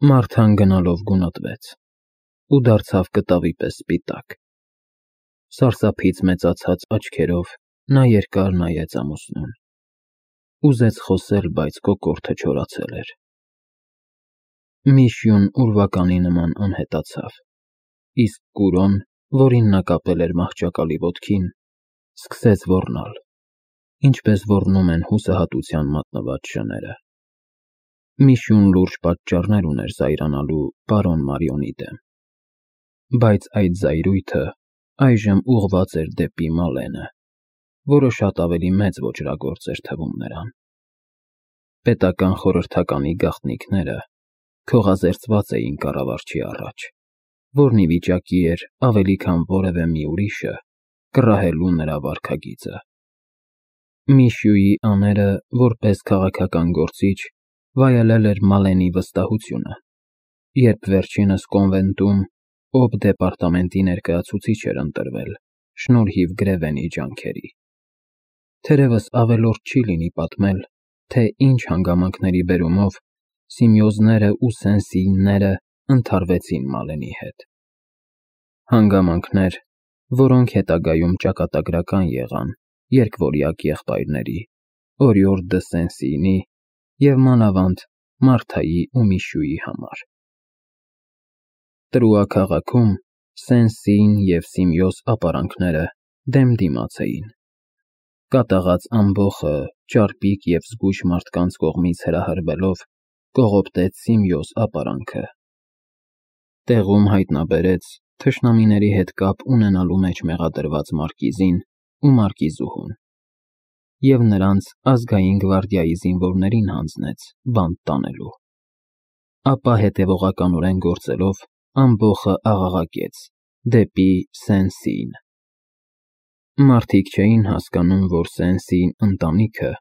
Մարթան գնալով գունատվեց ու դարձավ կտավի պես սպիտակ։ Սարսափից մեծացած աչքերով նա երկար նայեց ամուսնուն։ Ուզեց խոսել, բայց կոկորդը չորացել էր։ Միշյուն ուրվականի նման անհետացավ, իսկ Կուրոն, որին նա կապել էր մահճակալի ոտքին, սկսեց ոռնալ, ինչպես ոռնում են հուսահատության մատնված շները։ Միշյուն լուրջ պատճառներ ուներ զայրանալու պարոն Մարիոնի դեմ, բայց այդ զայրույթը այժմ ուղղված էր դեպի Մալենը, որը շատ ավելի մեծ ոճրագործ էր թվում նրան։ Պետական խորհրդականի գաղտնիքները քողազերծված էին կառավարչի առաջ, որն ի վիճակի էր ավելի քան որևէ մի ուրիշը կռահելու նրա վարքագիծը։ Միշյուի աները, որպես քաղաքական գործիչ, վայելել էր Մալենի վստահությունը, երբ վերջինս կոնվենտում օբ դեպարտամենտի ներկայացուցիչ էր ընտրվել շնորհիվ Գրևենի ջանքերի։ Թերևս ավելորդ չի լինի պատմել, թե ինչ հանգամանքների բերումով Սիմեոզները ու Սենսիինները ընդհարվեցին Մալենի հետ։ Հանգամանքներ, որոնք հետագայում ճակատագրական եղան երկվորյակ եղբայրների՝ Օրիոր դը Սենսիինի և մանավանդ Մարթայի ու Միշյուի համար։ Տրուա քաղաքում Սենսիին և Սիմեոզ ապարանքները դեմ դիմաց էին։ Կատաղած ամբոխը ճարպիկ և զգույշ մարդկանց կողմից հրահրվելով կողոպտեց Սիմեոզ ապարանքը։ Տեղում հայտնաբերեց թշնամիների հետ կապ ունենալու մեջ մեղադրված մարկիզին ու մարկիզուհուն և նրանց ազգային գվարդիայի զինվորներին հանձնեց բանտ տանելու։ Ապա հետևողականորեն գործելով ամբոխը աղաղակեց դեպի Սենսիին։ Մարդիկ չէին հասկանում, որ Սենսիին ընտանիքը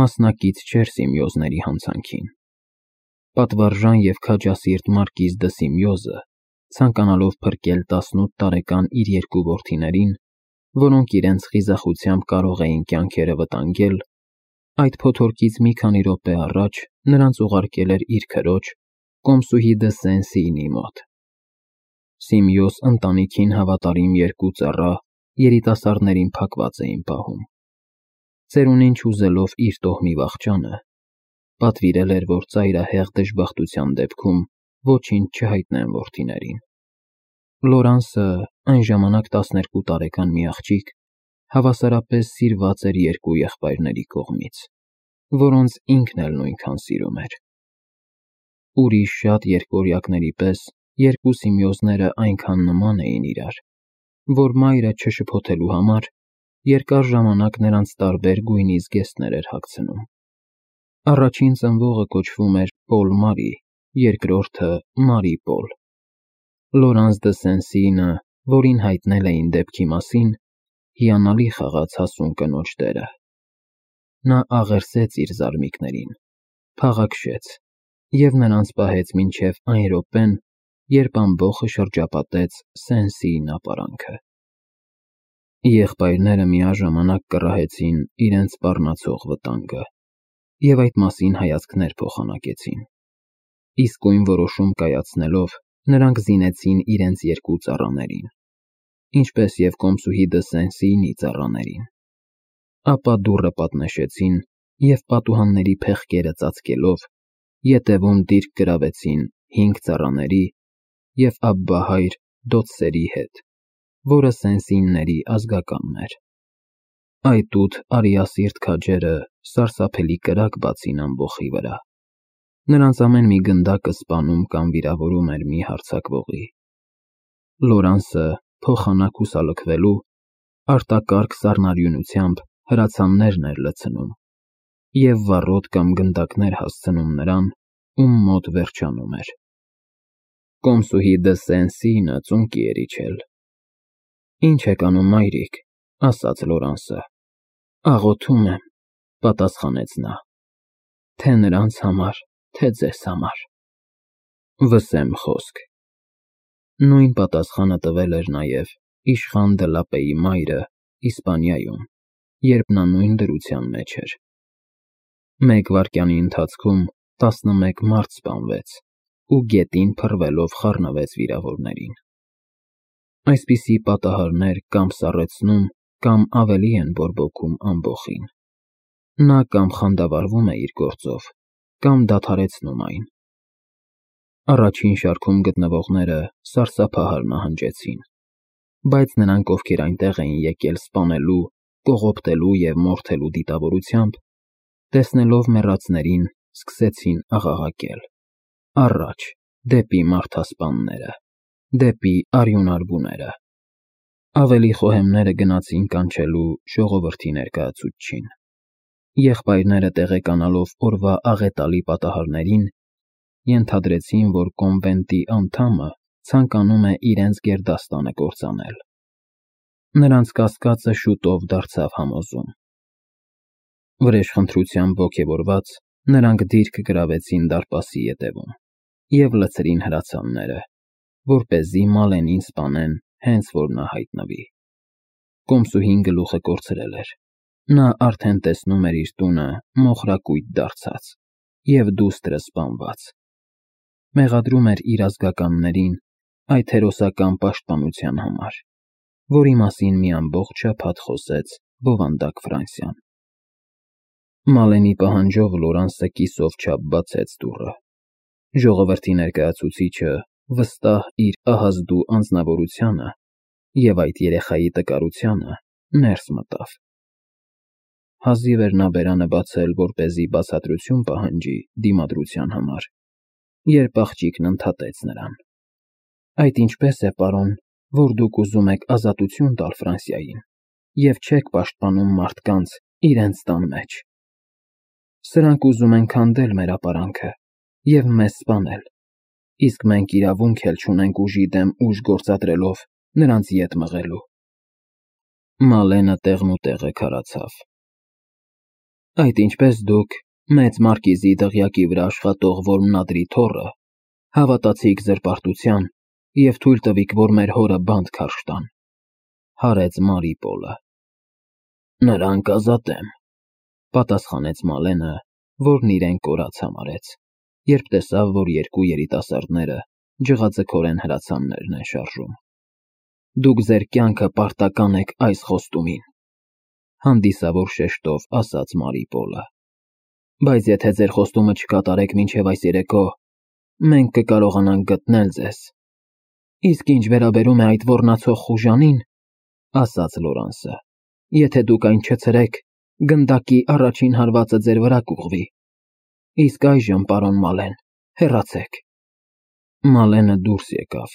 մասնակից չէր Սիմեոզների հանցանքին։ Պատվարժան և քաջասիրտ մարկիզ դը Սիմեոզը, ցանկանալով փրկել 18 տարեկան իր երկու որդիներին, որոնք իրենց խիզախությամբ կարող էին կյանքերը վտանգել, այդ փոթորկից մի քանի րոպե առաջ նրանց ուղարկել էր իր քրոջ՝ կոմսուհի դը Սենսիինի մոտ։ Սիմեոզ ընտանիքին հավատարիմ երկու ծառա երիտասարդներին փակված էին պահում։ Ծերունին չուզելով իր տոհմի վախճանը, պատվիրել էր, որ ծայրահեղ դժբախտության դեպքում ոչինչ չհայտնեն որդիներին։ Լորանսը, այն ժամանակ 12 տարեկան մի աղջիկ, հավասարապես սիրված էր երկու եղբայրների կողմից, որոնց ինքն էլ նույնքան սիրում էր։ Ուրիշ շատ երկվորյակների պես երկու Սիմեոզները այնքան նման էին իրար, որ մայրը չշփոթելու համար երկար ժամանակ նրանց տարբեր գույնի զգեստներ էր հագցնում։ Առաջին ծնվողը կոչվում էր Պոլ Մարի, երկրորդը՝ Մարի Պոլ։ Լորանս դը Սենսիինը, որին հայտնել էին դեպքի մասին, հիանալի խաղաց հասուն կնոջ դերը։ Նա աղերսեց իր զարմիկներին, փաղաքշեց և նրանց պահեց մինչև այն րոպեն, երբ ամբոխը շրջապատեց Սենսիին ապարանքը։ Եղբայրները միաժամանակ կռահեցին իրենց սպառնացող վտանգը և այդ մասին հայացքներ փոխանակեցին։ Իսկույն որոշում կայացնելով, նրանք զինեցին իրենց երկու ծառաներին, ինչպես և կոմսուհի դը Սենսիինի ծառաներին։ Ապա դուռը պատնեշեցին և պատուհանների փեղկերը ծածկելով, ետևում դիրք գրավեցին 5 ծառաների և Աբբահայր Դոցսերի հետ, որը Սենսիինների ազգականն էր։ Այտուդ արիասիրտ քաջերը սարսափելի կրակ բացին ամբոխի վրա։ Նրանց ամեն մի գնդակը սպանում կամ վիրավորում էր մի հարձակվողի։ Լորանսը, փոխանակ հուսալքվելու, արտակարգ սառնարյունությամբ հրացաններն էր լցնում և վառոդ կամ գնդակներ հասցնում նրան, ում մոտ վերջանում էր։ Կոմսուհի դը Սենսիինը ծունկի էր իջել։ «Ինչ եք անում, մայրիկ», ասաց Լորանսը։ «Աղոթում եմ», պատասխանեց նա, «թե նրանց համար, թե ձեզ համար»։ Վսեմ խոսք։ Նույն պատասխանը տվել էր նաև իշխան դը Լապեի մայրը Իսպանիայում, երբ նա նույն դրության մեջ էր։ Մեկ վայրկյանի ընթացքում 11 մարդ սպանվեց, ու գետին փռվելով խառնվեց վիրավորներին։ Այսպիսի պատահարներ կամ սառեցնում, կամ ավելի են բորբոքում ամբոխին։ Նա կամ խանդավառվում է իր գործով, կամ դադարեցնում այն։ Առաջին շարքում գտնվողները սարսափահար նահանջեցին, բայց նրանք, ովքեր այնտեղ էին եկել սպանելու, կողոպտելու և մորթելու դիտավորությամբ, տեսնելով մեռածներին, սկսեցին աղաղակել. «Առաջ, դեպի մարդասպանները, դեպի արյունարբուները»։ Ավելի խոհեմները գնացին կանչելու ժողովրդի ներկայացուցչին։ Եղբայրները տեղեկանալով օրվա աղետալի պատահարներին, ենթադրեցին, որ կոնվենտի անդամը ցանկանում է իրենց գերդաստանը կործանել։ Նրանց կասկածը շուտով դարձավ համոզում։ Վրեժխնդրությամբ ոգևորված, նրանք դիրք գրավեցին դարպասի ետևում և լցրին հրացանները, որպեսզի Մալենին սպանեն, հենց որ նա հայտնվի։ Կոմսուհին գլուխը կորցրել էր։ Նա արդեն տեսնում էր իր տունը մոխրակույտ դարձած և դուստրը սպանված։ Մեղադրում էր իր ազգականներին այդ հերոսական պաշտպանության համար, որի մասին մի ամբողջ շաբաթ խոսեց բովանդակ Ֆրանսիան։ Մալենի պահանջով Լորանսը կիսով չափ բացեց դուռը։ Ժողովրդի ներկայացուցիչը, վստահ իր ահազդու անձնավորությանը և այդ երեխայի տկարությանը, ներս մտավ։ Հազիվ էր նա բերանը բացել, որպեսզի բացատրություն պահանջի դիմադրության համար, երբ աղջիկն ընդհատեց նրան. «Այդ ինչպես է, պարոն, որ դուք ուզում եք ազատություն տալ Ֆրանսիային և չեք պաշտպանում մարդկանց իրենց տան մեջ։ Սրանք ուզում են քանդել մեր ապարանքը և մեզ սպանել, իսկ մենք իրավունք էլ չունենք ուժի դեմ ուժ գործադրելով նրանց ետ մղելու»։ Մալենը տեղնուտեղը քարացավ։ «Այդ ինչպես դուք, մեծ մարկիզի դղյակի վրա աշխատող որմնադրի թոռը, հավատացիք զրպարտության և թույլ տվիք, որ մեր հորը բանտ քարշ տան», հարեց Մարիպոլը։ «Նրան կազատեմ», պատասխանեց Մալենը, որն իրեն կորած համարեց, երբ տեսավ, որ երկու երիտասարդները ջղաձգորեն հրացաններն են շարժում։ «Դուք ձեր կյանքը պարտական եք այս խոստումին», հանդիսավոր շեշտով ասաց Մարիպոլը։ «Բայց եթե ձեր խոստումը չկատարեք մինչև այս երեկո, մենք կկարողանանք գտնել ձեզ»։ «Իսկ ինչ վերաբերում է այդ ոռնացող խուժանին, ասաց Լորանսը, եթե դուք այն չցրեք, գնդակի առաջին հարվածը ձեր վրա կուղղվի։ Իսկ այժմ, պարոն Մալեն, հեռացեք»։ Մալենը դուրս եկավ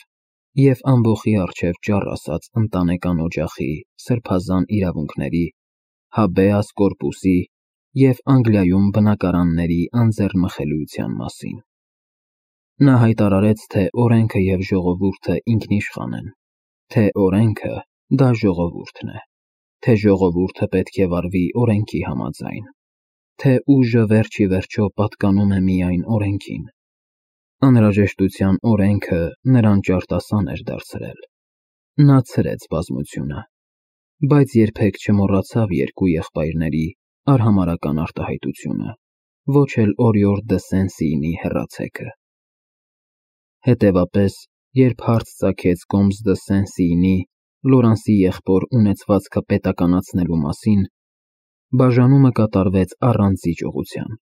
և ամբոխի առջև ճառ ասաց ընտանեկան օջախի սրբազան իրավունքների, հաբեաս կորպուսի և Անգլիայում բնակարանների անձեռնմխելիության մասին։ Նա հայտարարեց, թե օրենքը և ժողովուրդը ինքնիշխան են, թե օրենքը դա ժողովուրդն է, թե ժողովուրդը պետք է վարվի օրենքի համաձայն, թե ուժը վերջ ի վերջո պատկանում է միայն օրենքին։ Անհրաժեշտության օրենքը նրան ճարտասան էր դարձրել։ Նա ցրեց բազմությունը, բայց երբեք չմոռացավ երկու եղբայրների արհամարհական արտահայտությունը, ոչ էլ Օրիորդ դը Սեն-Սիինի հեռացեքը։ Հետևապես, երբ հարց ծագեց Կոմս դը Սեն-Սիինի Լորանսի եղբոր ունեցվածքը պետականացնելու մասին, բաժանումը կատարվեց առանց զիջողության։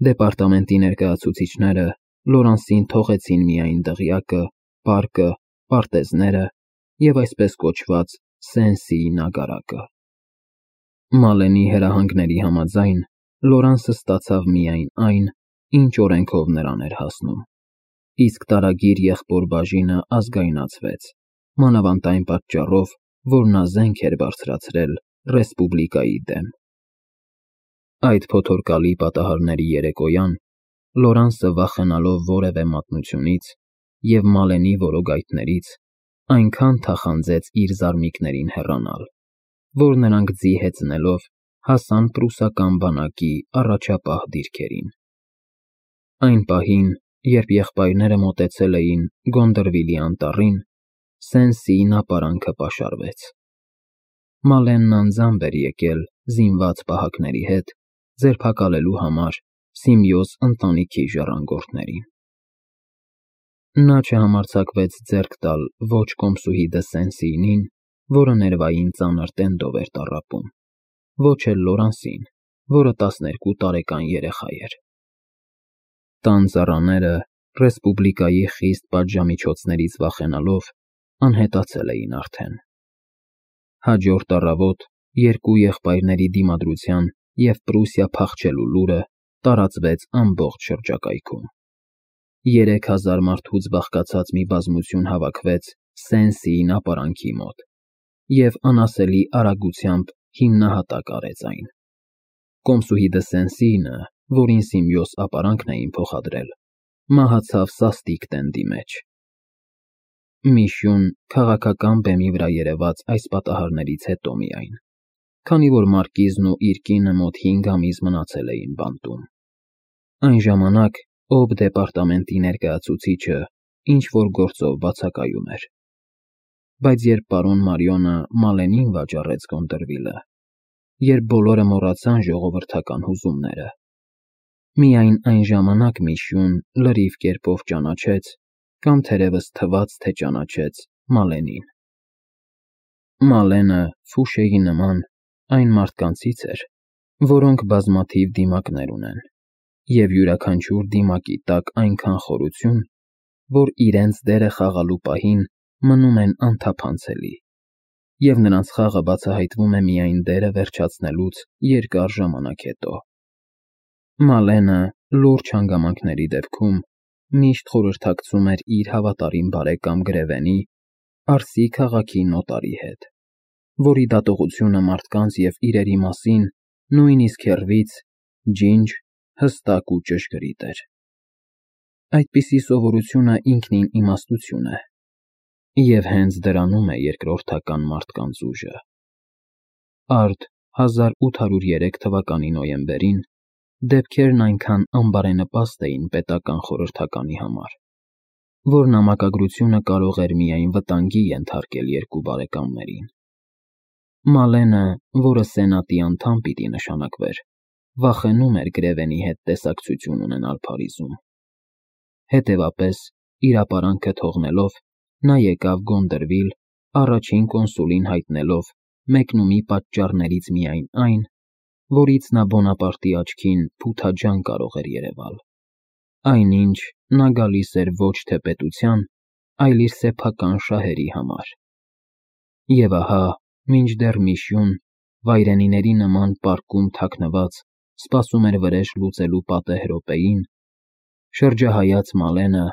Դեպարտամենտի ներկայացուցիչները Լորանսին թողեցին միայն դղյակը, պարկը, պարտեզները և այսպես կոչված Սեն-Սիի նագարակը։ Մալենի հրահանգների համաձայն Լորանսը ստացավ միայն այն, ինչ օրենքով նրան էր հասնում, իսկ տարագիր եղբոր բաժինը ազգայնացվեց, մանավանդ այն պատճառով, որ նա զենք էր բարձրացրել ռեսպուբլիկայի դեմ։ Այդ փոթորկալի պատահարների երեկոյան Լորանսը, վախենալով որևէ մատնությունից և Մալենի որոգայթներից, այնքան թախանձեց իր զարմիկներին հեռանալ, որ նրանք ձի հեծնելով հասան պրուսական բանակի առաջապահ դիրքերին։ Այն պահին, երբ եղբայրները մոտեցել էին Գոնդրվիլի անտառին, Սեն-Սիին ապարանքը պաշարվեց։ Մալենն անձամբ էր եկել զինված պահակների հետ ձերբակալելու համար Սիմեոս ընտանիքի ժառանգորդներին։ Նա չհամարձակվեց ձեռք տալ ոչ կոմսուհի դը Սեն-Սիյնին, որը ներվային ծանր տենդով էր տառապում, ոչ էլ Լորանսին, որը 12 տարեկան երեխա էր։ Տան ծառաները, ռեսպուբլիկայի խիստ պատժամիջոցներից վախենալով, անհետացել էին արդեն։ Հաջորդ առավոտ երկու եղբայրների դիմադրության և Պրուսիա փախչելու լուրը տարածվեց ամբողջ շրջակայքում։ 3000 մարդուց բաղկացած մի բազմություն հավաքվեց Սեն-Սիին ապարանքի մոտ և անասելի արագությամբ հիմնահատակ արեց այն։ Կոմսուհի դը Սեն-Սիյնը, որին Սիմեոս ապարանքն էին փոխադրել, մահացավ սաստիկ տենդի մեջ։ Մի քաղաքական բեմի վրա երևաց այս պատահարներից հետո միայն, քանի որ մարկիզն ու իր կինը մոտ 5 ամիս մնացել էին բանտում։ Այն ժամանակ Օբ դեպարտամենտի ներկայացուցիչը ինչ-որ գործով բացակայում էր։ Բայց երբ պարոն Մարիոնը Մալենին վաճառեց Կոնտերվիլը, երբ բոլորը մոռացան ժողովրդական հուզումները, միայն այն ժամանակ Միշյուն լրիվ կերպով ճանաչեց, կամ թերևս թվաց, թե ճանաչեց Մալենին։ Մալենը Ֆուշեի նման այն մարդկանցից էր, որոնք բազմաթիվ դիմակներ ունեն, և յուրաքանչյուր դիմակի տակ այնքան խորություն, որ իրենց դերը խաղալու պահին մնում են անթափանցելի, և նրանց խաղը բացահայտվում է միայն դերը վերջացնելուց երկար ժամանակ հետո։ Մալենը լուրջ հանգամանքների դեպքում միշտ խորհրդակցում էր իր հավատարիմ բարեկամ Գրևենի, Արսի քաղաքի նոտարի հետ, որի դատողությունը մարդկանց և իրերի մասին, նույնիսկ հեռվից, ջինջ, հստակ ու ճշգրիտ էր։ Այդպիսի սովորությունը ինքնին իմաստություն է, և հենց դրանում է երկրորդական մարդկանց ուժը։ Արդ 1803 թվականի նոյեմբերին դեպքերն այնքան անբարենպաստ էին պետական խորհրդականի համար, որ նամակագրությունը կարող էր միայն վտանգի ենթարկել երկու բարեկամներին։ Մալենը, որը սենատի անդամ պիտի նշանակվեր, վախենում էր Գրևենի հետ տեսակցություն ունենալ Փարիզում։ Հետևապես, իր ապարանքը թողնելով, նա եկավ Գոնդերվիլ, առաջին կոնսուլին հայտնելով մեկնումի պատճառներից միայն այն, որից նա Բոնապարտի աչքին փութաջան կարող էր երևալ, այնինչ նա գալիս էր ոչ թե պետության, այլ իր սեփական շահերի համար։ Եվ ահա, մինչդեռ Միշյուն, վայրենիների նման պարկում թաքնված, սպասում էր վրեժ լուծելու պատեհ րոպեին, շրջահայաց Մալենը,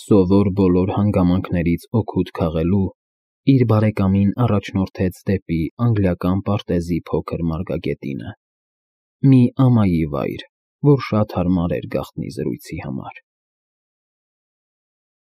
սովոր բոլոր հանգամանքներից օգուտ քաղելու, իր բարեկամին առաջնորդեց դեպի անգլիական պարտեզի փոքր մարգագետինը, մի ամայի վայր, որ շատ հարմար էր գաղտնի զրույցի համար։